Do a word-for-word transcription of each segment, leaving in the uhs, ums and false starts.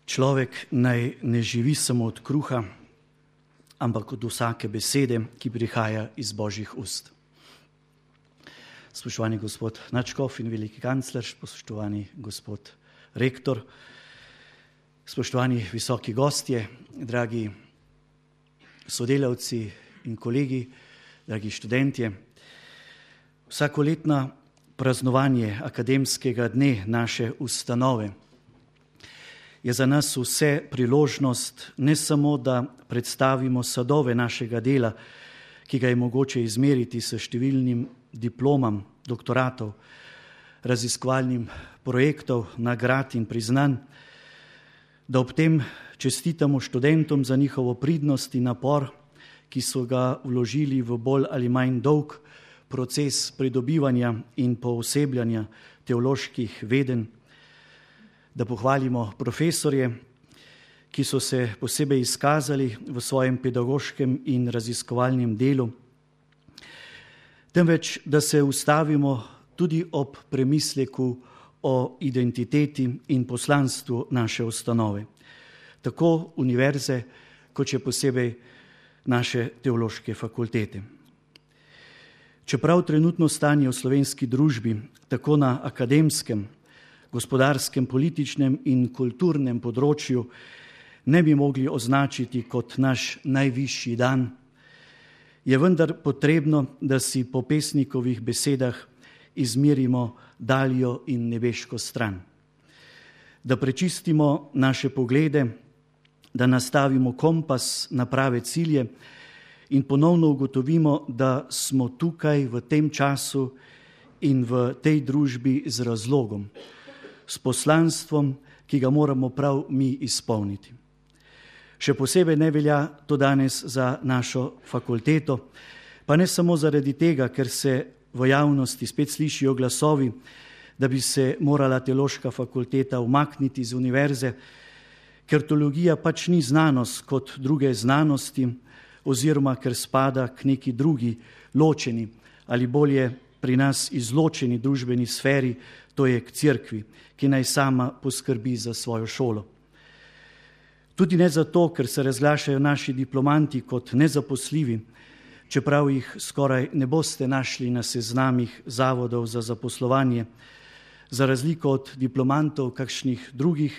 Človek naj ne živi samo od kruha, ampak od vsake besede, ki prihaja iz Božjih ust. Spoštovani gospod nadškof in veliki kancler, spoštovani gospod rektor, spoštovani visoki gostje, dragi sodelavci in kolegi, dragi študentje. Vsakoletno praznovanje akademskega dne naše ustanove je za nas vse priložnost ne samo, da predstavimo sadove našega dela, ki ga je mogoče izmeriti s številnim diplomam, doktoratov, raziskovalnim projektov, nagrad in priznanj, da ob tem čestitamo študentom za njihovo pridnost in napor, ki so ga vložili v bolj ali manj dolg proces pridobivanja in poosebljanja teoloških vedenj, da pohvalimo profesorje, ki so se posebej izkazali v svojem pedagoškem in raziskovalnem delu, temveč da se ustavimo tudi ob premisleku o identiteti in poslanstvu naše ustanove, tako univerze, kot še posebej naše teološke fakultete. Čeprav trenutno stanje v slovenski družbi, tako na akademskem, gospodarskem, političnem in kulturnem področju ne bi mogli označiti kot naš najvišji dan, je vendar potrebno, da si po pesnikovih besedah izmerimo daljo in nebeško stran, da prečistimo naše poglede, da nastavimo kompas na prave cilje in ponovno ugotovimo, da smo tukaj v tem času in v tej družbi z razlogom, s poslanstvom, ki ga moramo prav mi izpolniti. Še posebej ne velja to danes za našo fakulteto, pa ne samo zaradi tega, ker se v javnosti spet slišijo glasovi, da bi se morala teološka fakulteta umakniti z univerze, ker teologija pač ni znanost kot druge znanosti, oziroma ker spada k neki drugi ločeni ali bolje pri nas izločeni družbeni sferi, to je k cerkvi, ki naj sama poskrbi za svojo šolo. Tudi ne zato, ker se razglašajo naši diplomanti kot nezaposljivi, čeprav jih skoraj ne boste našli na seznamih zavodov za zaposlovanje, za razliko od diplomantov kakšnih drugih,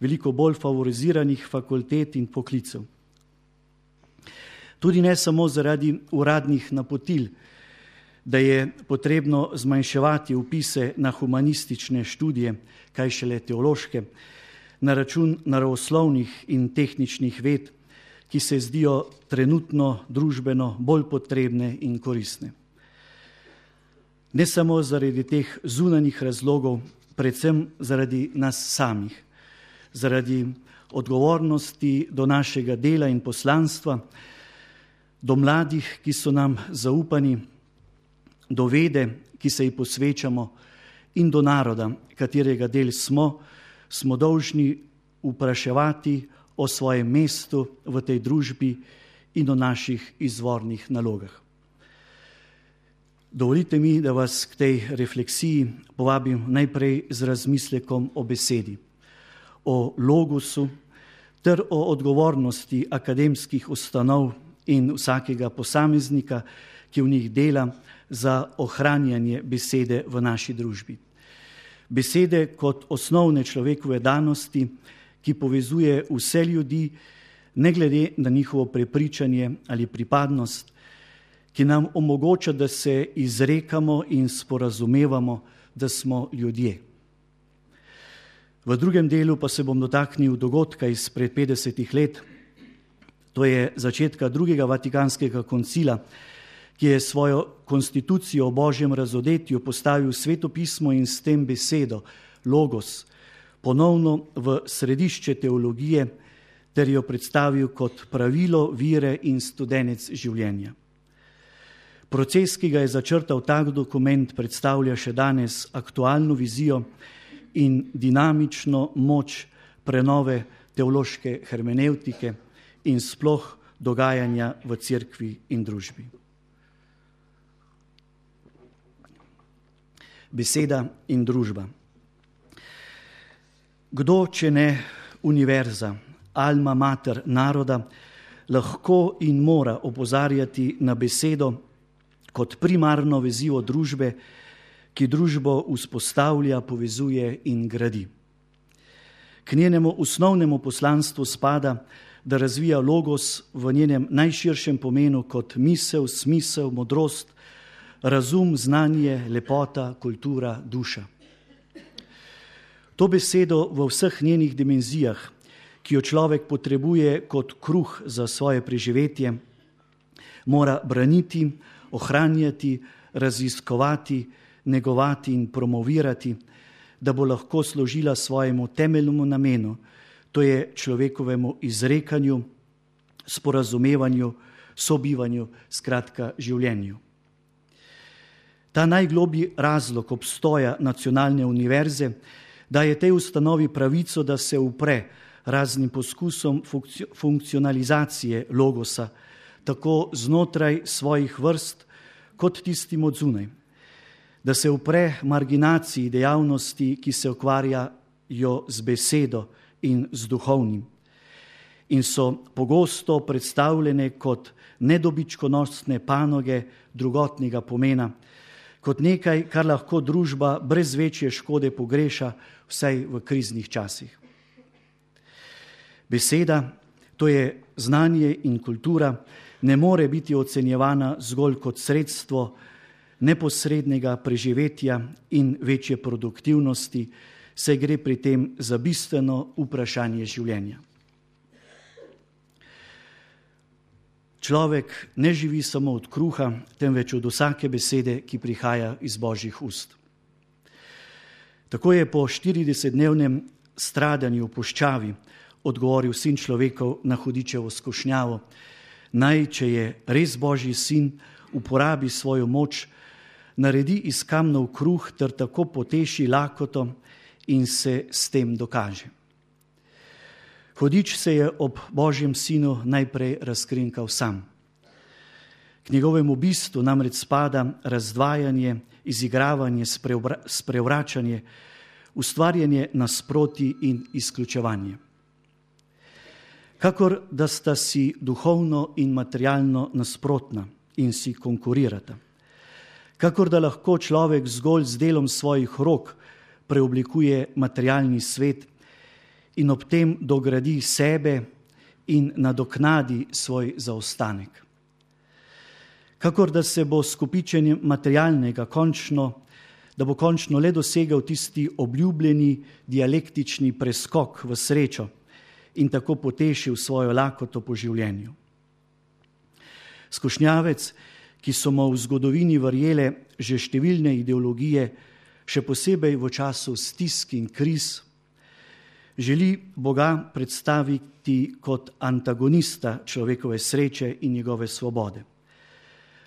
veliko bolj favoriziranih fakultet in poklicev. Tudi ne samo zaradi uradnih napotil, da je potrebno zmanjševati vpise na humanistične študije, kaj šele teološke, na račun naravoslovnih in tehničnih ved, ki se zdijo trenutno družbeno bolj potrebne in koristne. Ne samo zaradi teh zunanjih razlogov, predvsem zaradi nas samih, zaradi odgovornosti do našega dela in poslanstva, do mladih, ki so nam zaupani, do vede, ki se ji posvečamo, in do naroda, katerega del smo, smo dolžni vpraševati o svojem mestu v tej družbi in o naših izvornih nalogah. Dovolite mi, da vas k tej refleksiji povabim najprej z razmislekom o besedi, o logosu ter o odgovornosti akademskih ustanov in vsakega posameznika, ki v njih dela, za ohranjanje besede v naši družbi. Besede kot osnovne človekove danosti, ki povezuje vse ljudi, ne glede na njihovo prepričanje ali pripadnost, ki nam omogoča, da se izrekamo in sporazumevamo, da smo ljudje. V drugem delu pa se bom dotaknil dogodka izpred petdesetih let, to je začetka drugega Vatikanskega koncila, ki je svojo konstitucijo o Božjem razodetju postavil Sveto pismo in s tem besedo, logos, ponovno v središče teologije ter jo predstavil kot pravilo vire in studenec življenja. Proces, ki ga je začrtal tak dokument, predstavlja še danes aktualno vizijo in dinamično moč prenove teološke hermenevtike in sploh dogajanja v cerkvi in družbi. Beseda in družba. Kdo, če ne univerza, alma mater naroda, lahko in mora opozarjati na besedo kot primarno vezivo družbe, ki družbo vzpostavlja, povezuje in gradi. K njenemu osnovnemu poslanstvu spada, da razvija logos v njenem najširšem pomenu kot misel, smisel, modrost, razum, znanje, lepota, kultura, duša. To besedo v vseh njenih dimenzijah, ki jo človek potrebuje kot kruh za svoje preživetje, mora braniti, ohranjati, raziskovati, negovati in promovirati, da bo lahko služila svojemu temeljnemu namenu, to je človekovemu izrekanju, sporazumevanju, sobivanju, skratka življenju. Ta najgloblji razlog obstoja nacionalne univerze daje tej ustanovi pravico, da se upre raznim poskusom funkcionalizacije logosa, tako znotraj svojih vrst, kot tistim od zunaj. Da se upre marginaciji dejavnosti, ki se ukvarjajo z besedo in z duhovnim in so pogosto predstavljene kot nedobičkonosne panoge drugotnega pomena, kot nekaj, kar lahko družba brez večje škode pogreša, vsaj v kriznih časih. Beseda, to je znanje in kultura, ne more biti ocenjevana zgolj kot sredstvo neposrednega preživetja in večje produktivnosti, saj gre pri tem za bistveno vprašanje življenja. Človek ne živi samo od kruha, temveč od vsake besede, ki prihaja iz Božjih ust. Tako je po štiridesetdnevnem stradanju v puščavi odgovoril sin človekov na hudičevo skušnjavo, naj, če je res Božji sin, uporabi svojo moč, naredi iz kamnov kruh ter tako poteši lakoto in se s tem dokaže. Hudič se je ob Božjem sinu najprej razkrinkal sam. K njegovemu bistvu namreč spada razdvajanje, izigravanje, sprevračanje, ustvarjanje nasproti in izključevanje. Kakor da sta si duhovno in materialno nasprotna in si konkurirata. Kakor da lahko človek zgolj z delom svojih rok preoblikuje materialni svet in ob tem dogradi sebe in nadoknadi svoj zaostanek. Kakor da se bo s kopičenjem materialnega končno, da bo končno le dosegel tisti obljubljeni dialektični preskok v srečo in tako potešil svojo lakoto po življenju. Skušnjavec, ki so mu v zgodovini verjele že številne ideologije, še posebej v času stisk in kriz, želi Boga predstaviti kot antagonista človekove sreče in njegove svobode.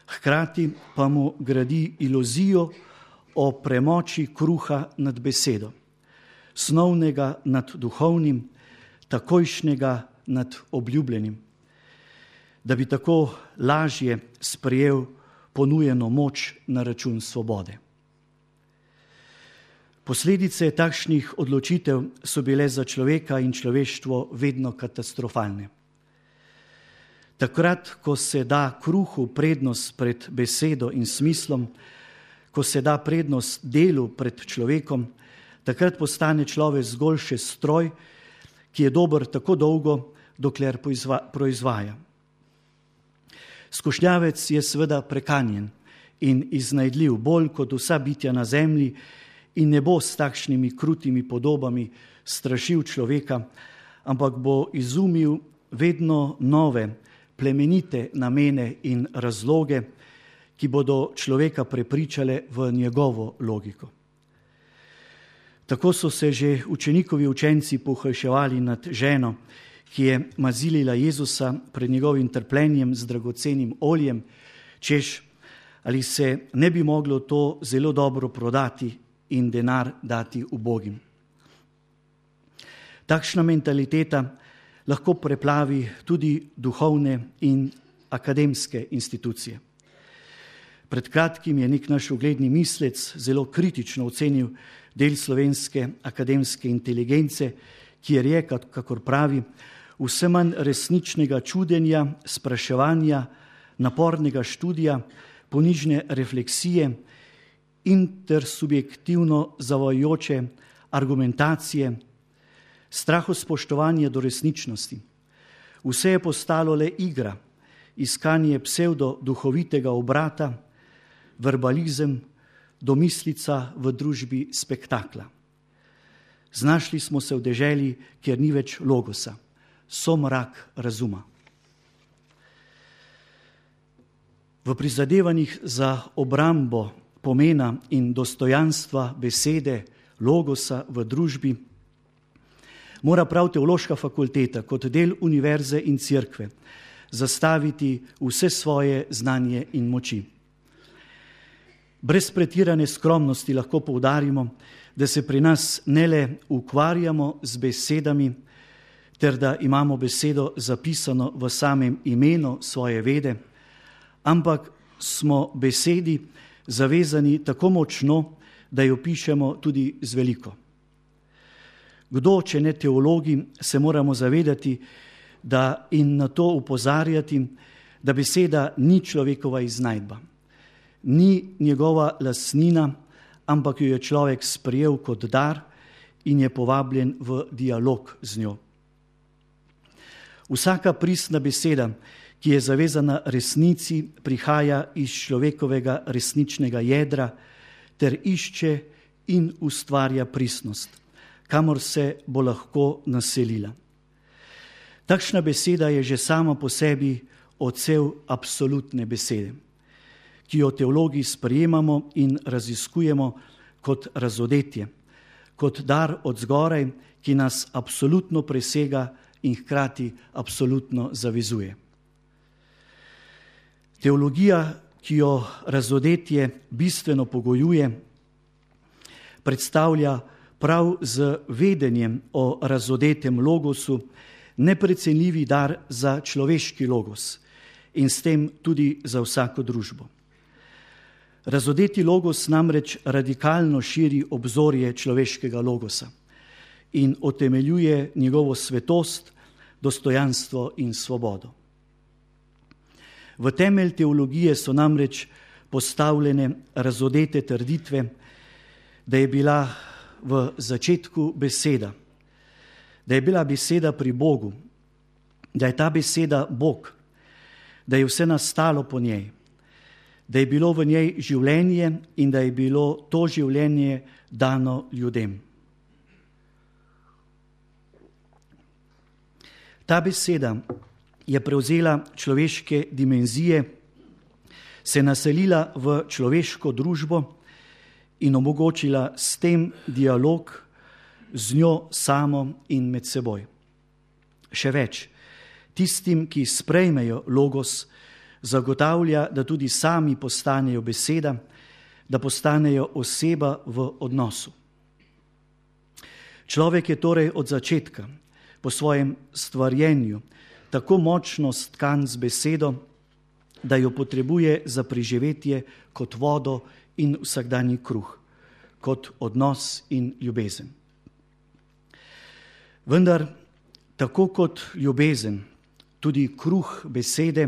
Hkrati pa mu gradi iluzijo o premoči kruha nad besedo, snovnega nad duhovnim, takojšnjega nad obljubljenim, da bi tako lažje sprejel ponujeno moč na račun svobode. Posledice takšnih odločitev so bile za človeka in človeštvo vedno katastrofalne. Takrat, ko se da kruhu prednost pred besedo in smislom, ko se da prednost delu pred človekom, takrat postane človek zgolj še stroj, ki je dober tako dolgo, dokler proizvaja. Skušnjavec je seveda prekanjen in iznajdljiv bolj kot vsa bitja na zemlji in ne bo s takšnimi krutimi podobami strašil človeka, ampak bo izumil vedno nove, plemenite namene in razloge, ki bodo človeka prepričale v njegovo logiko. Tako so se že učenikovi učenci pohujševali nad ženo, ki je mazilila Jezusa pred njegovim trpljenjem z dragocenim oljem, češ, ali se ne bi moglo to zelo dobro prodati in denar dati ubogim. Takšna mentaliteta lahko preplavi tudi duhovne in akademske institucije. Pred kratkim je nek naš ugledni mislec zelo kritično ocenil del slovenske akademske inteligence, kjer je, kakor pravi, vse manj resničnega čudenja, spraševanja, napornega študija, ponižne refleksije, intersubjektivno zavajajoče argumentacije, strahospoštovanje do resničnosti. Vse je postalo le igra, iskanje psevdo-duhovitega obrata, verbalizem, domislica v družbi spektakla. Znašli smo se v deželi, kjer ni več logosa, somrak razuma. V prizadevanjih za obrambo pomena in dostojanstva besede logosa v družbi mora prav teološka fakulteta kot del univerze in cerkve zastaviti vse svoje znanje in moči. Brez pretirane skromnosti lahko poudarimo, da se pri nas ne le ukvarjamo z besedami, ter da imamo besedo zapisano v samem imenu svoje vede, ampak smo besedi zavezani tako močno, da jo pišemo tudi z veliko. Kdo, če ne teologi, se moramo zavedati, da in na to upozarjati, da beseda ni človekova iznajdba, ni njegova lastnina, ampak jo je človek sprejel kot dar in je povabljen v dialog z njo. Vsaka pristna beseda, ki je zavezana resnici, prihaja iz človekovega resničnega jedra ter išče in ustvarja pristnost, kamor se bo lahko naselila. Takšna beseda je že sama po sebi odsev absolutne besede, ki jo teologi sprejemamo in raziskujemo kot razodetje, kot dar od zgoraj, ki nas absolutno presega in hkrati absolutno zavezuje. Teologija, ki jo razodetje bistveno pogojuje, predstavlja prav z vedenjem o razodetem logosu neprecenljivi dar za človeški logos in s tem tudi za vsako družbo. Razodeti logos namreč radikalno širi obzorje človeškega logosa in utemeljuje njegovo svetost, dostojanstvo in svobodo. V temelj teologije so namreč postavljene razodete trditve, da je bila v začetku beseda, da je bila beseda pri Bogu, da je ta beseda Bog, da je vse nastalo po njej, da je bilo v njej življenje in da je bilo to življenje dano ljudem. Ta beseda je prevzela človeške dimenzije, se naselila v človeško družbo in omogočila s tem dialog z njo samo in med seboj. Še več, tistim, ki sprejmejo logos, zagotavlja, da tudi sami postanejo beseda, da postanejo oseba v odnosu. Človek je torej od začetka po svojem stvarjenju tako močno stkan z besedo, da jo potrebuje za preživetje kot vodo in vsakdanji kruh, kot odnos in ljubezen. Vendar, tako kot ljubezen, tudi kruh besede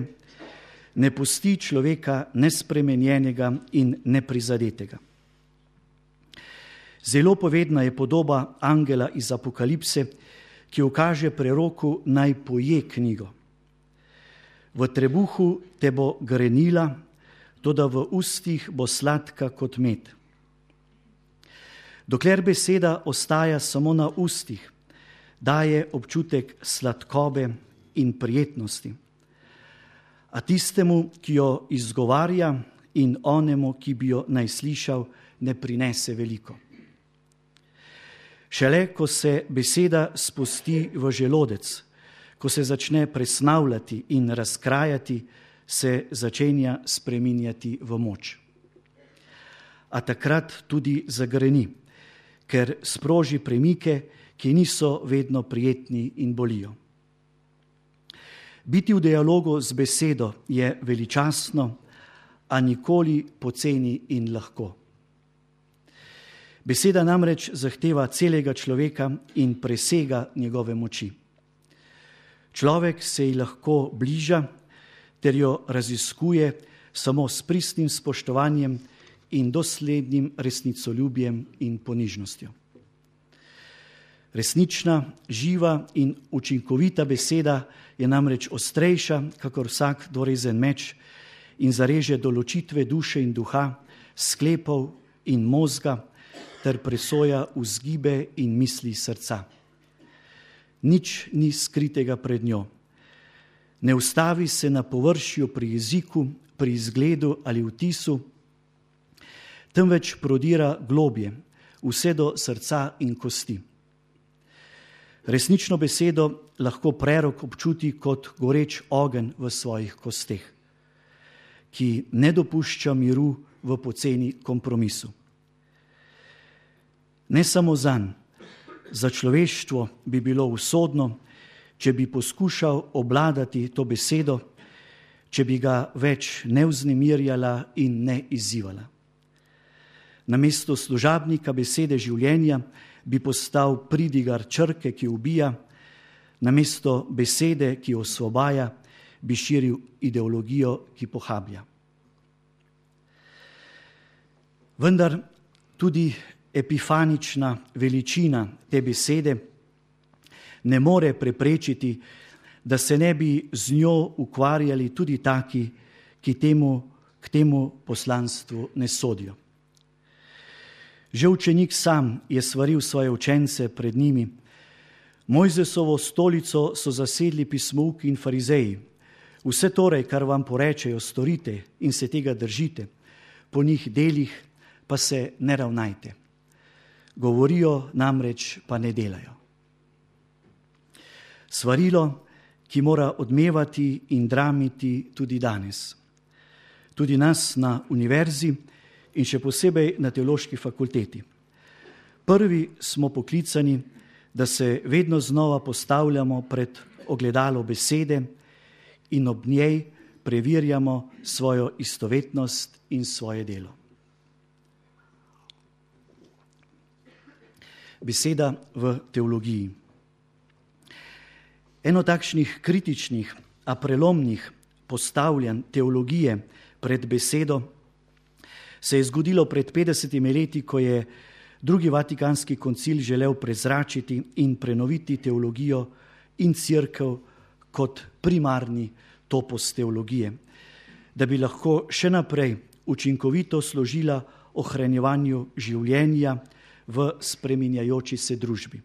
ne pusti človeka nespremenjenega in neprizadetega. Zelo povedna je podoba angela iz Apokalipse, ki ukaže preroku, naj poje knjigo. V trebuhu te bo grenila, toda v ustih bo sladka kot med. Dokler beseda ostaja samo na ustih, daje občutek sladkobe in prijetnosti, a tistemu, ki jo izgovarja, in onemu, ki bi jo naj slišal, ne prinese veliko. Šele, ko se beseda spusti v želodec, ko se začne presnavljati in razkrajati, se začenja spreminjati v moč. A takrat tudi zagreni, ker sproži premike, ki niso vedno prijetni in bolijo. Biti v dialogu z besedo je veličastno, a nikoli poceni in lahko. Beseda namreč zahteva celega človeka in presega njegove moči. Človek se ji lahko bliža ter jo raziskuje samo s pristnim spoštovanjem in doslednim resnicoljubjem in ponižnostjo. Resnična, živa in učinkovita beseda je namreč ostrejša, kakor vsak dvorezen meč, in zareže določitve duše in duha, sklepov in mozga, ter presoja vzgibe in misli srca. Nič ni skritega pred njo. Ne ustavi se na površju pri jeziku, pri izgledu ali vtisu, temveč prodira globje, vse do srca in kosti. Resnično besedo lahko prerok občuti kot goreč ogenj v svojih kosteh, ki ne dopušča miru v poceni kompromisu. Ne samo zanj, za človeštvo bi bilo usodno, če bi poskušal obladati to besedo, če bi ga več ne vznemirjala in ne izzivala. Namesto služabnika besede življenja bi postal pridigar črke, ki ubija, namesto besede, ki osvobaja, bi širil ideologijo, ki pohablja. Vendar tudi epifanična veličina te besede ne more preprečiti, da se ne bi z njo ukvarjali tudi taki, ki temu, k temu poslanstvu ne sodijo. Že učenik sam je svaril svoje učence pred njimi. Mojzesovo stolico so zasedli pismouki in farizeji. Vse torej, kar vam porečejo, storite in se tega držite, po njih delih pa se ne ravnajte. Govorijo namreč, pa ne delajo. Svarilo, ki mora odmevati in dramiti tudi danes. Tudi nas na univerzi in še posebej na teološki fakulteti. Prvi smo poklicani, da se vedno znova postavljamo pred ogledalo besede in ob njej preverjamo svojo istovetnost in svoje delo. Beseda v teologiji. Eno takšnih kritičnih, a prelomnih postavljanj teologije pred besedo se je zgodilo pred petdesetimi leti, ko je drugi vatikanski koncil želel prezračiti in prenoviti teologijo in cerkev kot primarni topos teologije, da bi lahko še naprej učinkovito služila ohranjevanju življenja v spreminjajoči se družbi.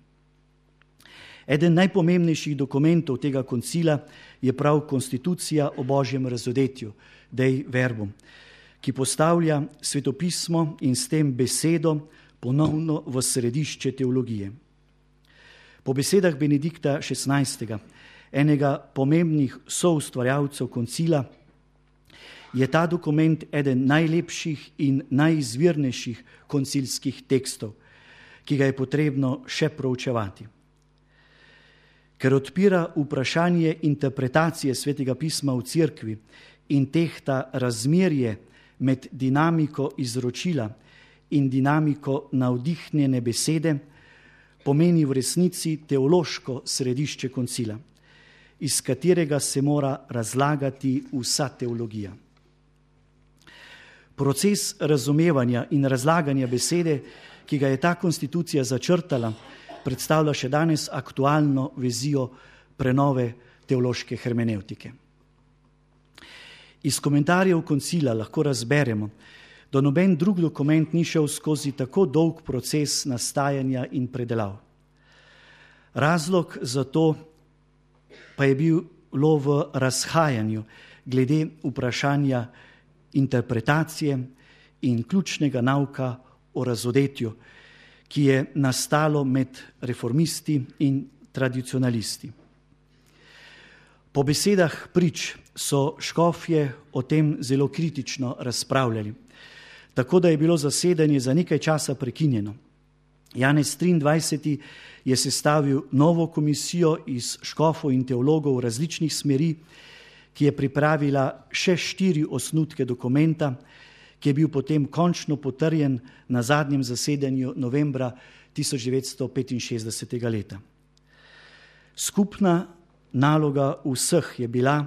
Eden najpomembnejših dokumentov tega koncila je prav konstitucija o Božjem razodetju, Dei Verbum, ki postavlja svetopismo in s tem besedo ponovno v središče teologije. Po besedah Benedikta šestnajstega, enega pomembnih soustvarjalcev koncila, je ta dokument eden najlepših in najizvirnejših koncilskih tekstov, ki ga je potrebno še proučevati. Ker odpira vprašanje interpretacije svetega pisma v cerkvi in tehta razmerje med dinamiko izročila in dinamiko navdihnjene besede, pomeni v resnici teološko središče koncila, iz katerega se mora razlagati vsa teologija. Proces razumevanja in razlaganja besede, ki ga je ta konstitucija začrtala, predstavlja še danes aktualno vizijo prenove teološke hermenevtike. Iz komentarjev koncila lahko razberemo, da noben drug dokument ni šel skozi tako dolg proces nastajanja in predelav. Razlog za to pa je bilo v razhajanju glede vprašanja interpretacije in ključnega nauka o razodetju, ki je nastalo med reformisti in tradicionalisti. Po besedah prič so škofje o tem zelo kritično razpravljali, tako da je bilo zasedanje za nekaj časa prekinjeno. Janez triindvajseti je sestavil novo komisijo iz škofov in teologov različnih smeri, ki je pripravila še štiri osnutke dokumenta, ki je bil potem končno potrjen na zadnjem zasedanju novembra tisoč devetsto petinšestdesetega leta. Skupna naloga vseh je bila,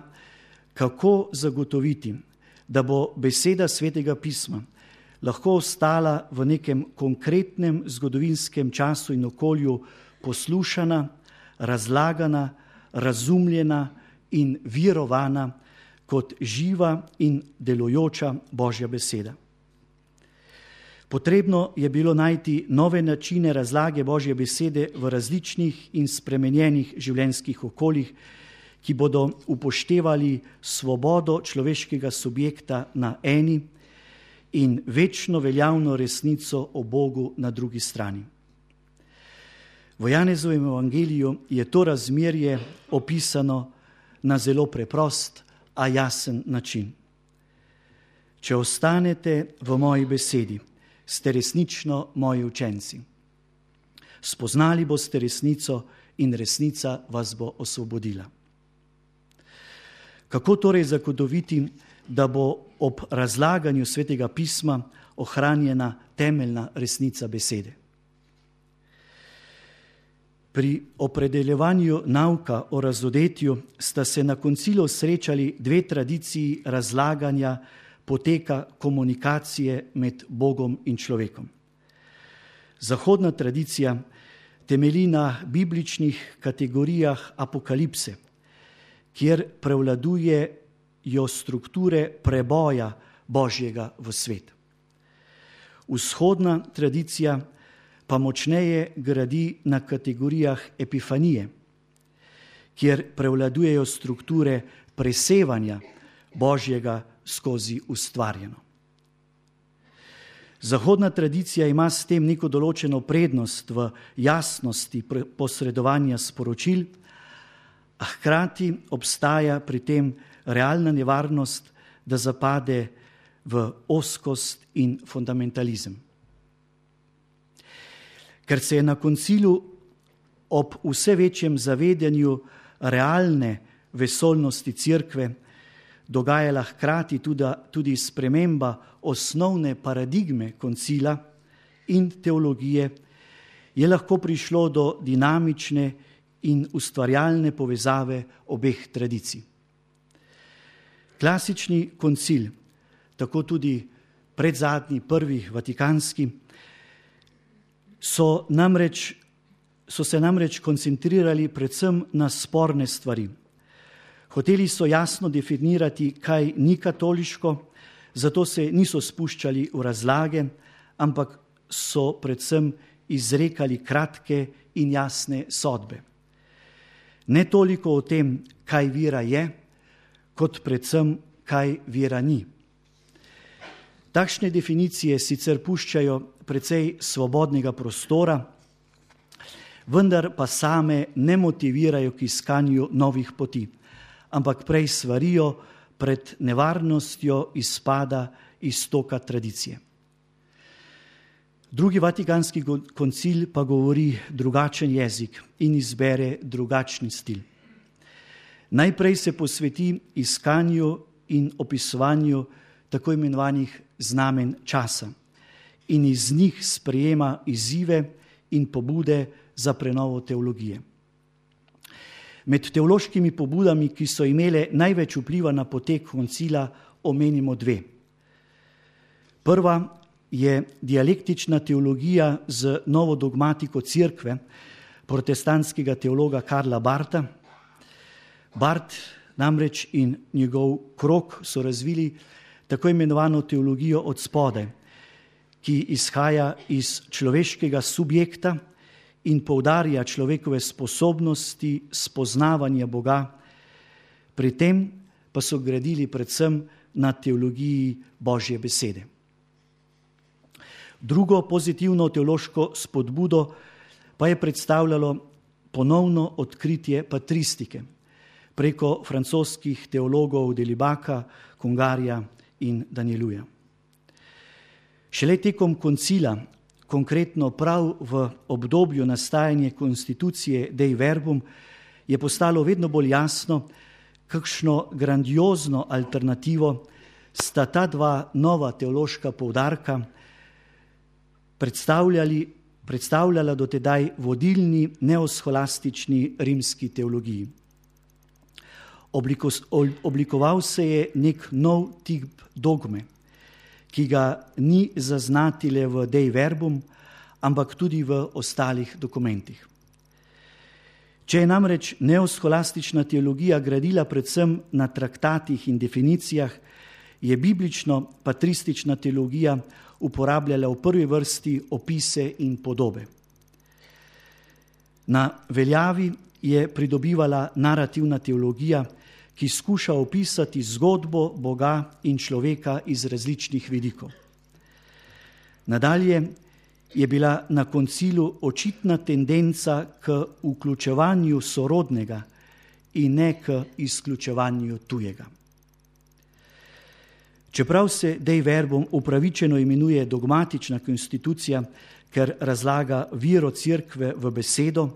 kako zagotoviti, da bo beseda Svetega pisma lahko ostala v nekem konkretnem zgodovinskem času in okolju poslušana, razlagana, razumljena in virovana kot živa in delujoča Božja beseda. Potrebno je bilo najti nove načine razlage Božje besede v različnih in spremenjenih življenjskih okoljih, ki bodo upoštevali svobodo človeškega subjekta na eni in večno veljavno resnico o Bogu na drugi strani. V Janezovem evangeliju je to razmerje opisano na zelo preprost, a jasen način. Če ostanete v moji besedi, ste resnično moji učenci. Spoznali boste resnico in resnica vas bo osvobodila. Kako torej zagotoviti, da bo ob razlaganju Svetega pisma ohranjena temeljna resnica besede? Pri opredeljevanju nauka o razodetju sta se na koncilu srečali dve tradiciji razlaganja poteka komunikacije med Bogom in človekom. Zahodna tradicija temelji na bibličnih kategorijah apokalipse, kjer prevladujejo strukture preboja Božjega v svet. Vzhodna tradicija pa močneje gradi na kategorijah epifanije, kjer prevladujejo strukture presevanja Božjega skozi ustvarjeno. Zahodna tradicija ima s tem neko določeno prednost v jasnosti posredovanja sporočil, a hkrati obstaja pri tem realna nevarnost, da zapade v ozkost in fundamentalizem. Ker se je na koncilu ob vse večjem zavedanju realne vesoljnosti Cerkve dogajala hkrati tudi, tudi sprememba osnovne paradigme koncila in teologije, je lahko prišlo do dinamične in ustvarjalne povezave obeh tradicij. Klasični koncil, tako tudi predzadnji, prvi vatikanski, so, namreč, so se namreč koncentrirali predvsem na sporne stvari. Hoteli so jasno definirati, kaj ni katoliško, zato se niso spuščali v razlage, ampak so predvsem izrekali kratke in jasne sodbe. Ne toliko o tem, kaj vera je, kot predvsem, kaj vera ni. Takšne definicije sicer puščajo precej svobodnega prostora, vendar pa same ne motivirajo k iskanju novih poti, ampak prej svarijo pred nevarnostjo izpada iz toka tradicije. Drugi vatikanski koncil pa govori drugačen jezik in izbere drugačni stil. Najprej se posveti iskanju in opisovanju tako imenovanih znamen časa in iz njih sprejema izzive in pobude za prenovo teologije. Med teološkimi pobudami, ki so imele največ vpliva na potek koncila, omenimo dve. Prva je dialektična teologija z novo dogmatiko Cerkve, protestantskega teologa Karla Bartha. Barth namreč in njegov krog so razvili tako imenovano teologijo od spodaj, ki izhaja iz človeškega subjekta in poudarja človekove sposobnosti spoznavanja Boga, pri tem pa so gradili predvsem na teologiji Božje besede. Drugo pozitivno teološko spodbudo pa je predstavljalo ponovno odkritje patristike preko francoskih teologov Delibaka, Congarija in Danieluja. Šele tekom koncila, konkretno prav v obdobju nastajanja konstitucije Dei Verbum, je postalo vedno bolj jasno, kakšno grandiozno alternativo sta ta dva nova teološka poudarka predstavljali, predstavljala dotedaj vodilni neoscholastični rimski teologiji. Obliko, oblikoval se je nek nov tip dogme, ki ga ni zaznati le v Dei Verbum, ampak tudi v ostalih dokumentih. Če je namreč neoscholastična teologija gradila predvsem na traktatih in definicijah, je biblično-patristična teologija uporabljala v prvi vrsti opise in podobe. Na veljavi je pridobivala narativna teologija, ki skuša opisati zgodbo Boga in človeka iz različnih vidikov. Nadalje je bila na koncilu očitna tendenca k vključevanju sorodnega in ne k izključevanju tujega. Čeprav se Dei Verbum upravičeno imenuje dogmatična konstitucija, ker razlaga vero Cerkve v besedo,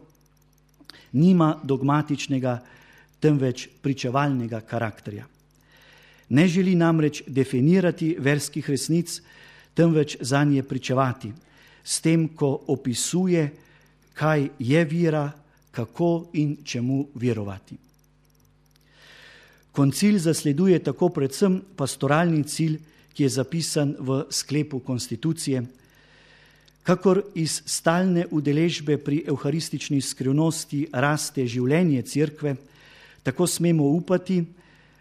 nima dogmatičnega, temveč pričevalnega karakterja. Ne želi namreč definirati verskih resnic, temveč zanje pričevati, s tem, ko opisuje, kaj je vera, kako in čemu verovati. Koncil zasleduje tako predvsem pastoralni cilj, ki je zapisan v sklepu konstitucije, kakor iz stalne udeležbe pri evharistični skrivnosti raste življenje Cerkve, tako smemo upati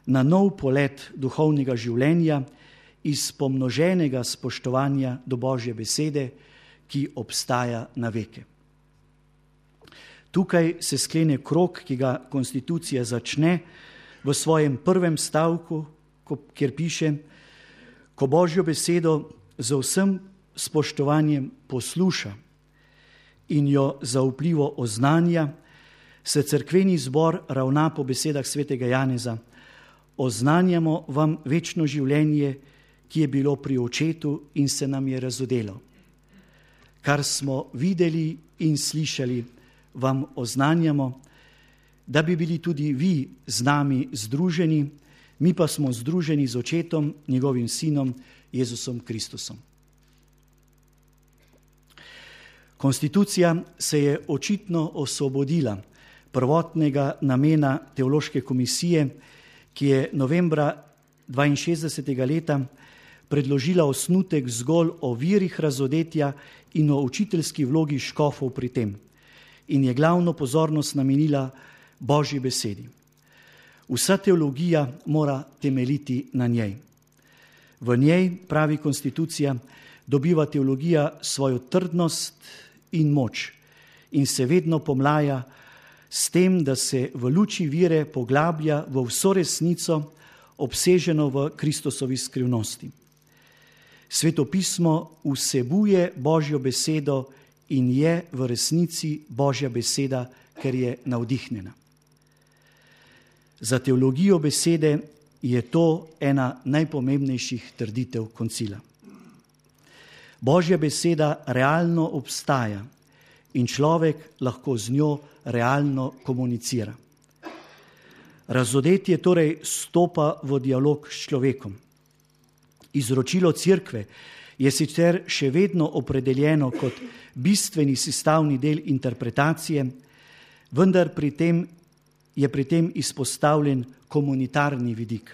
na nov polet duhovnega življenja iz pomnoženega spoštovanja do Božje besede, ki obstaja na veke. Tukaj se sklene krog, ki ga konstitucija začne v svojem prvem stavku, kjer piše: ko Božjo besedo z vsem spoštovanjem posluša in jo zaupljivo oznanja, se cerkveni zbor ravna po besedah svetega Janeza: oznanjamo vam večno življenje, ki je bilo pri očetu in se nam je razodelo. Kar smo videli in slišali, vam oznanjamo, da bi bili tudi vi z nami združeni, mi pa smo združeni z očetom, njegovim sinom, Jezusom Kristusom. Konstitucija se je očitno osvobodila prvotnega namena teološke komisije, ki je novembra dvainšestdesetega leta predložila osnutek zgolj o virih razodetja in o učiteljski vlogi škofov pri tem in je glavno pozornost namenila Božji besedi. Vsa teologija mora temeljiti na njej. V njej, pravi konstitucija, dobiva teologija svojo trdnost in moč in se vedno pomlaja s tem, da se v luči vire poglablja v vso resnico, obseženo v Kristusovi skrivnosti. Svetopismo vsebuje Božjo besedo in je v resnici Božja beseda, ker je navdihnjena. Za teologijo besede je to ena najpomembnejših trditev koncila. Božja beseda realno obstaja in človek lahko z njo realno komunicira. Razodetje torej stopa v dialog s človekom. Izročilo Cerkve je sicer še vedno opredeljeno kot bistveni sestavni del interpretacije, vendar pri tem je pri tem izpostavljen komunitarni vidik.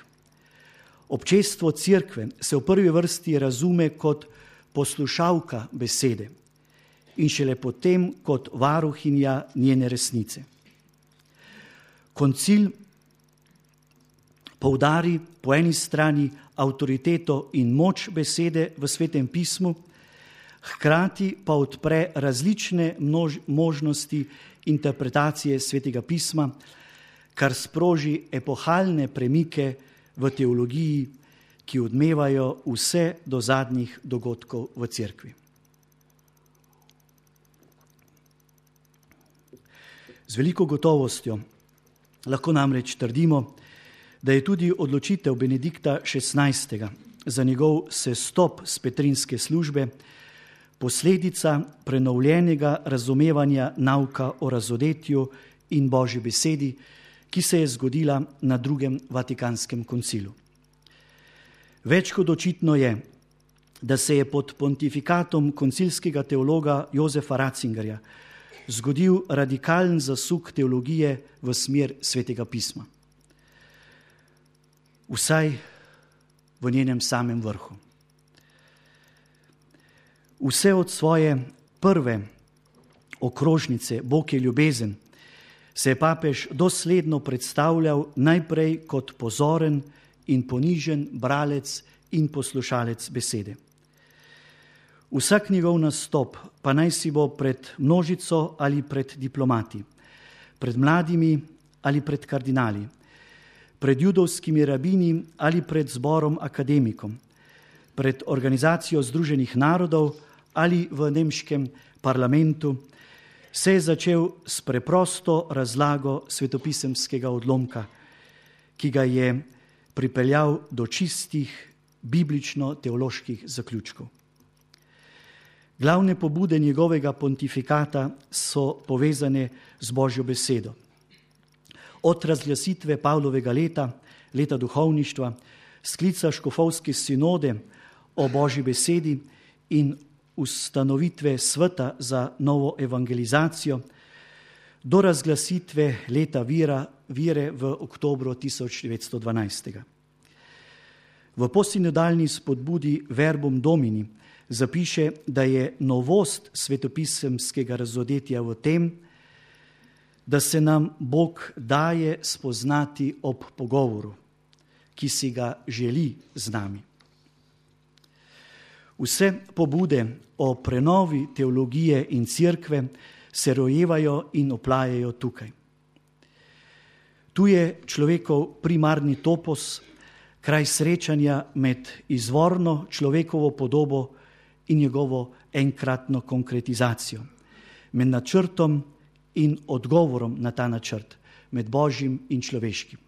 Občestvo Cerkve se v prvi vrsti razume kot poslušalka besede in šele potem kot varuhinja njene resnice. Koncil poudari po eni strani avtoriteto in moč besede v Svetem pismu, hkrati pa odpre različne množ, možnosti interpretacije Svetega pisma, kar sproži epohalne premike v teologiji, ki odmevajo vse do zadnjih dogodkov v Cerkvi. Z veliko gotovostjo lahko namreč trdimo, da je tudi odločitev Benedikta šestnajstega za njegov sestop s petrinske službe posledica prenovljenega razumevanja nauka o razodetju in Božji besedi, ki se je zgodila na drugem Vatikanskem koncilu. Več kot očitno je, da se je pod pontifikatom koncilskega teologa Jozefa Ratzingerja zgodil radikalen zasuk teologije v smer Svetega pisma. Vsaj v njenem samem vrhu. Vse od svoje prve okrožnice Bog je ljubezen se je papež dosledno predstavljal najprej kot pozoren in ponižen bralec in poslušalec besede. Vsak njegov nastop, pa naj si bo pred množico ali pred diplomati, pred mladimi ali pred kardinali, pred judovskimi rabini ali pred zborom akademikom, pred organizacijo Združenih narodov ali v nemškem parlamentu, se je začel s preprosto razlago svetopisemskega odlomka, ki ga je pripeljal do čistih biblično-teoloških zaključkov. Glavne pobude njegovega pontifikata so povezane z Božjo besedo. Od razglasitve Pavlovega leta, leta duhovništva, sklica škofovske sinode o Božji besedi in ustanovitve sveta za novo evangelizacijo, do razglasitve leta vira, vire v oktobru tisoč devetsto dvanajst. V postsinodalni spodbudi Verbum Domini zapiše, da je novost svetopisemskega razodetja v tem, da se nam Bog daje spoznati ob pogovoru, ki si ga želi z nami. Vse pobude o prenovi teologije in cerkve se rojevajo in oplajajo tukaj. Tu je človekov primarni topos, kraj srečanja med izvorno človekovo podobo in njegovo enkratno konkretizacijo, med načrtom in odgovorom na ta načrt, med Božjim in človeškim.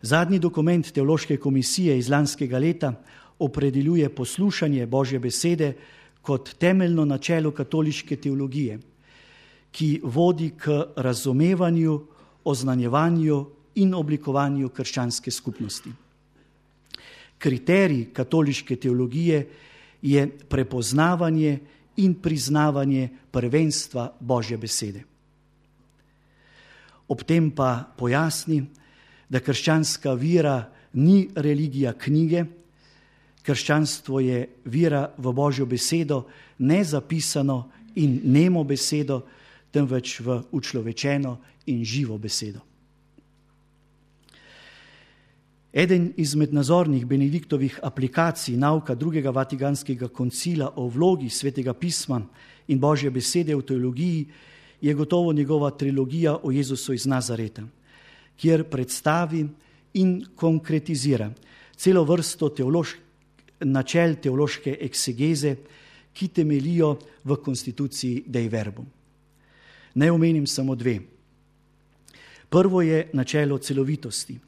Zadnji dokument Teološke komisije iz lanskega leta opredeljuje poslušanje Božje besede kot temeljno načelo katoliške teologije, ki vodi k razumevanju, oznanjevanju in oblikovanju krščanske skupnosti. Kriterij katoliške teologije je prepoznavanje in priznavanje prvenstva Božje besede. Ob tem pa pojasni, da krščanska vera ni religija knjige, krščanstvo je vera v Božjo besedo, ne zapisano in nemo besedo, temveč v učlovečeno in živo besedo. Eden izmed nazornih Benediktovih aplikacij nauka drugega Vatikanskega koncila o vlogi Svetega pisma in Božje besede v teologiji je gotovo njegova trilogija o Jezusu iz Nazareta, kjer predstavi in konkretizira celo vrsto teoloških načel teološke eksegeze, ki temelijo v konstituciji Dei Verbum. Naj omenim samo dve. Prvo je načelo celovitosti.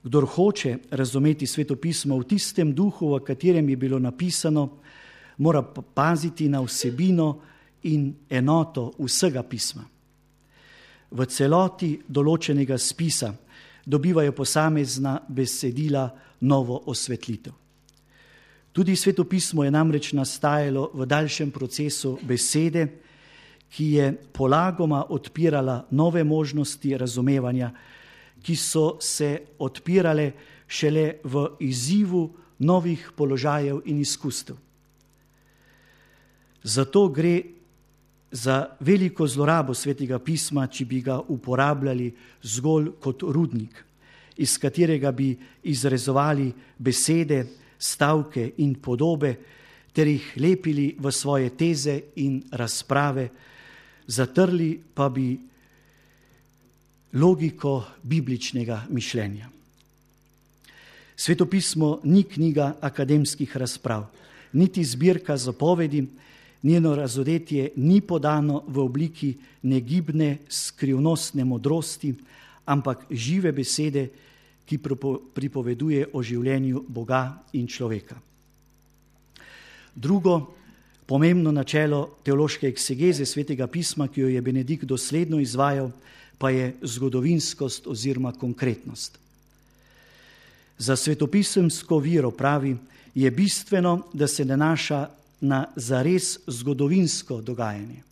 Kdor hoče razumeti Sveto pismo v tistem duhu, v katerem je bilo napisano, mora paziti na vsebino in enoto vsega pisma. V celoti določenega spisa dobivajo posamezna besedila novo osvetlitev. Tudi Sveto pismo je namreč nastajalo v daljšem procesu besede, ki je polagoma odpirala nove možnosti razumevanja, ki so se odpirale šele v izzivu novih položajev in izkustev. Zato gre za veliko zlorabo Svetega pisma, če bi ga uporabljali zgolj kot rudnik, iz katerega bi izrezovali besede, stavke in podobe, ter jih lepili v svoje teze in razprave, zatrli pa bi logiko bibličnega mišljenja. Sveto pismo ni knjiga akademskih razprav, niti zbirka zapovedi, njeno razodetje ni podano v obliki negibne, skrivnostne modrosti, ampak žive besede, ki pripoveduje o življenju Boga in človeka. Drugo pomembno načelo teološke eksegeze Svetega pisma, ki jo je Benedikt dosledno izvajal, pa je zgodovinskost oziroma konkretnost. Za svetopisemsko vero, pravi, je bistveno, da se nanaša na zares zgodovinsko dogajanje.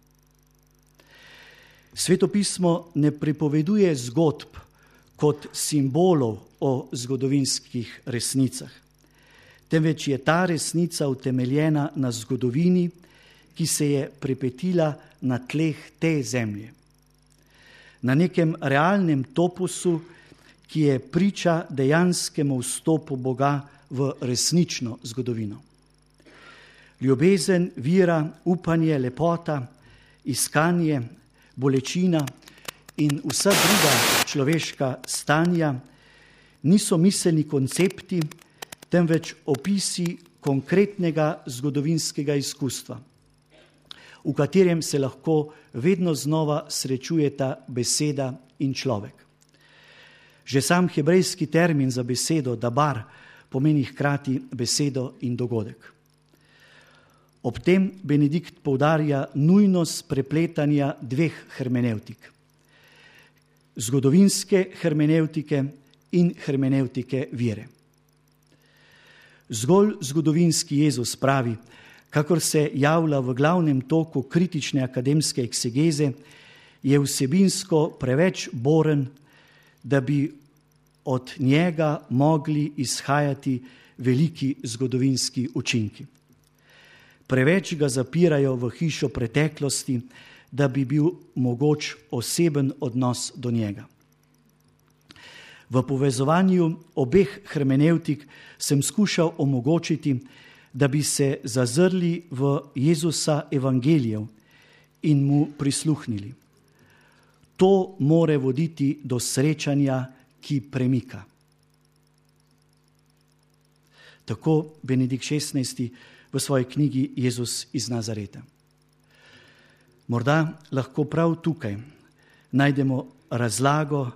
Svetopismo ne pripoveduje zgodb kot simbolov o zgodovinskih resnicah, temveč je ta resnica utemeljena na zgodovini, ki se je pripetila na tleh te zemlje. Na nekem realnem topusu, ki je priča dejanskemu vstopu Boga v resnično zgodovino. Ljubezen, vira, upanje, lepota, iskanje, bolečina in vsa druga človeška stanja niso miselni koncepti, temveč opisi konkretnega zgodovinskega izkustva, v katerem se lahko vedno znova srečujeta beseda in človek. Že sam hebrejski termin za besedo dabar pomeni hkrati besedo in dogodek. Ob tem Benedikt poudarja nujnost prepletanja dveh hermenevtik. Zgodovinske hermenevtike in hermenevtike vere. Zgolj zgodovinski Jezus, pravi, kakor se javlja v glavnem toku kritične akademske eksegeze, je vsebinsko preveč boren, da bi od njega mogli izhajati veliki zgodovinski učinki. Preveč ga zapirajo v hišo preteklosti, da bi bil mogoč oseben odnos do njega. V povezovanju obeh hermenevtik sem skušal omogočiti, da bi se zazrli v Jezusa evangelijev in mu prisluhnili. To more voditi do srečanja, ki premika. Tako Benedikt šestnajsti v svoji knjigi Jezus iz Nazareta. Morda lahko prav tukaj najdemo razlago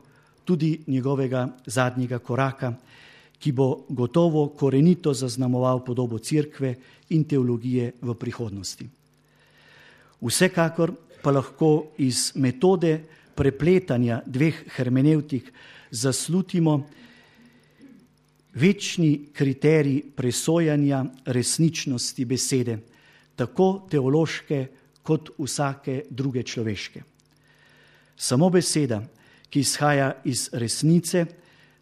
tudi njegovega zadnjega koraka, ki bo gotovo korenito zaznamoval podobo cerkve in teologije v prihodnosti. Vsekakor pa lahko iz metode prepletanja dveh hermenevtik zaslutimo večni kriterij presojanja resničnosti besede, tako teološke kot vsake druge človeške. Samo beseda, ki izhaja iz resnice,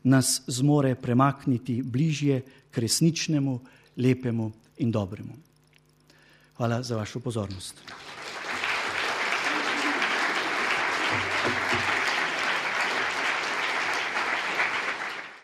nas zmore premakniti bližje k resničnemu, lepemu in dobremu. Hvala za vašo pozornost.